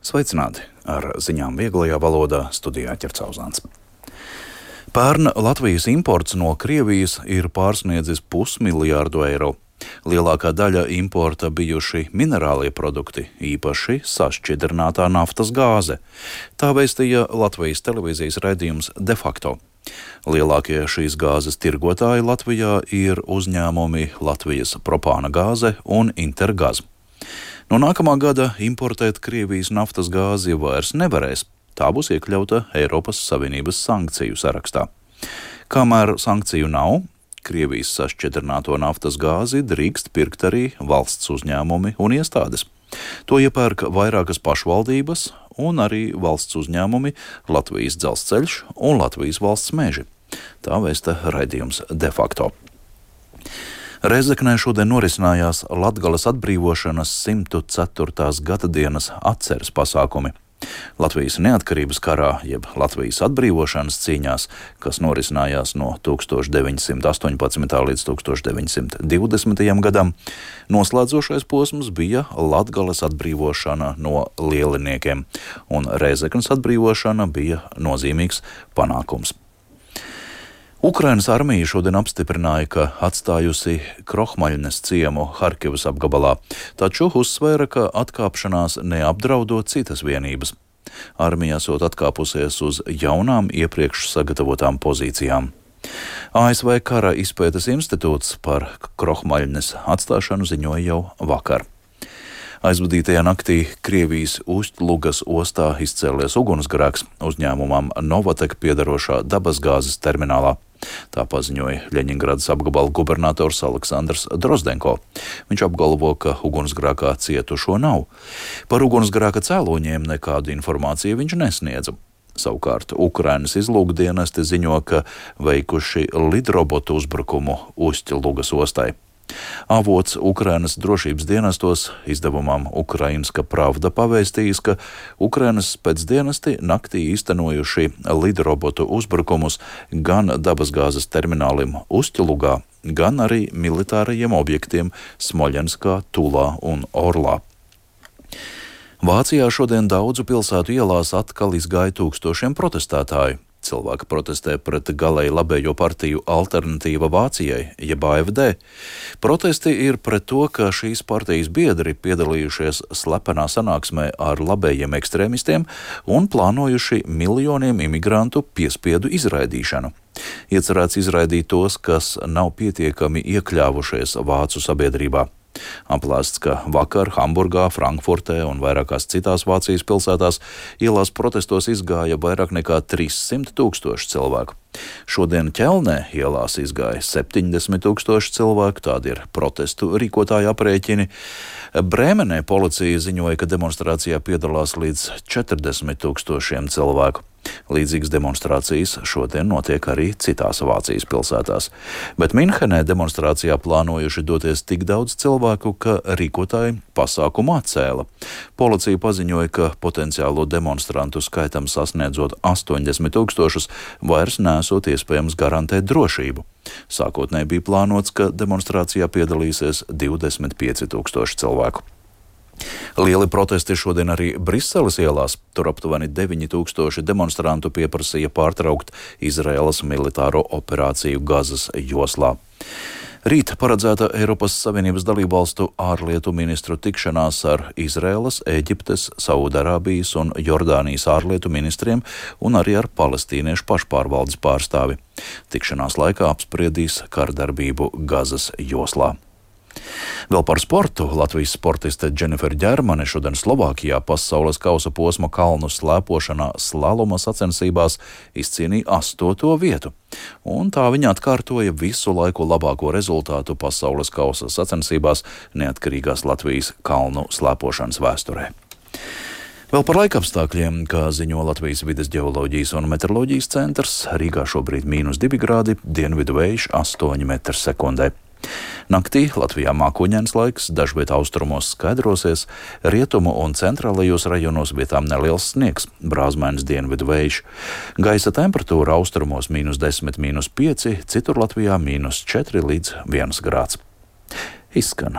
Sveicināti! Ar ziņām vieglajā valodā studijā Ķercauzāns. Pērn Latvijas imports no Krievijas ir pārsniedzis 500 miljārdu eiro. Lielākā daļa importa bijuši minerālie produkti, īpaši sašķidrinātā naftas gāze. Tā vēstīja Latvijas televīzijas raidījums De facto. Lielākie šīs gāzes tirgotāji Latvijā ir uzņēmumi Latvijas propāna gāze un Intergaz. No nākamā gada importēt Krievijas naftas gāzi vairs nevarēs. Tā būs iekļauta Eiropas Savienības sankciju sarakstā. Kamēr sankciju nav, Krievijas sašķidrināto naftas gāzi drīkst pirkt arī valsts uzņēmumi un iestādes. To iepērk vairākas pašvaldības un arī valsts uzņēmumi Latvijas Dzelzceļš un Latvijas valsts meži. Tā vēsta raidījums De facto. Rēzeknē šodien norisinājās Latgales atbrīvošanas 104. gadadienas atceres pasākumi. Latvijas neatkarības karā, jeb Latvijas atbrīvošanas cīņās, kas norisinājās no 1918. līdz 1920. gadam, noslēdzošais posms bija Latgales atbrīvošana no lieliniekiem, un Rēzeknes atbrīvošana bija nozīmīgs panākums. Ukrainas armija šodien apstiprināja, ka atstājusi Krohmaļnes ciemu Harkivas apgabalā, taču uzsvēra, ka atkāpšanās neapdraudot citas vienības. Armija esot atkāpusies uz jaunām iepriekš sagatavotām pozīcijām. ASV Kara izpētes institūts par Krohmaļnes atstāšanu ziņoja jau vakar. Aizvadītajā naktī Krievijas Ustlugas ostā izcēlies ugunsgrēks uzņēmumam Novatek piedarošā dabasgāzes terminālā. Tā paziņoja Ļeņingradas apgabala gubernators Aleksandrs Drozdenko. Viņš apgalvo, ka ugunsgrēkā cietušo nav. Par ugunsgrēka cēloņiem nekādu informāciju viņš nesniedza. Savukārt Ukrainas izlūkdienesti ziņo, ka veikuši lidrobotu uzbrukumu Ustlugas ostai. Avots Ukrainas drošības dienestos izdevumam Ukrainska Pravda pavēstījis, ka Ukrainas spēcdienesti naktī īstenojuši lidrobotu uzbrukumus gan dabasgāzes terminālim Ustļlugā, gan arī militārajiem objektiem Smoļenskā, Tulā un Orlā. Vācijā šodien daudzu pilsētu ielās atkal izgāja tūkstošiem protestētāju. Cilvēki protestē pret galēji labējo partiju Alternatīva Vācijai, jeb AfD. Protesti ir pret to, ka šīs partijas biedri piedalījušies slepenā sanāksmē ar labējiem ekstrēmistiem un plānojuši miljoniem imigrantu piespiedu izraidīšanu. Iecerēts izraidīt tos, kas nav pietiekami iekļāvušies vācu sabiedrībā. Aplēsts, ka vakar Hamburgā, Frankfurtē un vairākās citās Vācijas pilsētās ielās protestos izgāja vairāk nekā 300 000 cilvēku. Šodien Ķelnē ielās izgāja 70 000 cilvēku, tādi ir protestu rīkotāju aprēķini. Brēmenē policija ziņoja, ka demonstrācijā piedalās līdz 40 000 cilvēku. Līdzīgas demonstrācijas šodien notiek arī citās Vācijas pilsētās. Bet Minhenē demonstrācijā plānojuši doties tik daudz cilvēku, ka rīkotāji pasākumu atcēla. Policija paziņoja, ka potenciālo demonstrantu skaitam sasniedzot 80 000, vairs nesot iespējams garantēt drošību. Sākotnēji bija plānots, ka demonstrācijā piedalīsies 25 000 cilvēku. Lieli protesti šodien arī Briseles ielās. Tur aptuveni 9 000 demonstrantu pieprasīja pārtraukt Izraēlas militāro operāciju Gazas joslā. Rīt paredzēta Eiropas Savienības dalībvalstu ārlietu ministru tikšanās ar Izraēlas, Ēģiptes, Saudarābijas un Jordānijas ārlietu ministriem un arī ar palestīniešu pašpārvaldes pārstāvi. Tikšanās laikā apspriedīs kardarbību Gazas joslā. Vēl par sportu. Latvijas sportiste Dženifere Ģermane šodien Slovākijā pasaules kausa posma kalnu slēpošanā slaloma sacensībās izcīnīja 8. vietu. Un tā viņa atkārtoja visu laiku labāko rezultātu pasaules kausa sacensībās neatkarīgās Latvijas kalnu slēpošanas vēsturē. Vēl par laikapstākļiem, kā ziņo Latvijas vides ģeoloģijas un meteoroloģijas centrs, Rīgā šobrīd -2 grādi, dienvidu vējš 8 m/sekundē. Naktī Latvijā mākoņains laiks, dažviet austrumos skaidrosies, rietumu un centrālajos rajonos vietām neliels sniegs, brāzmainis dienvidu vējš. Gaisa temperatūra austrumos -10, -5, citur Latvijā -4 līdz 1 grāds. Izskan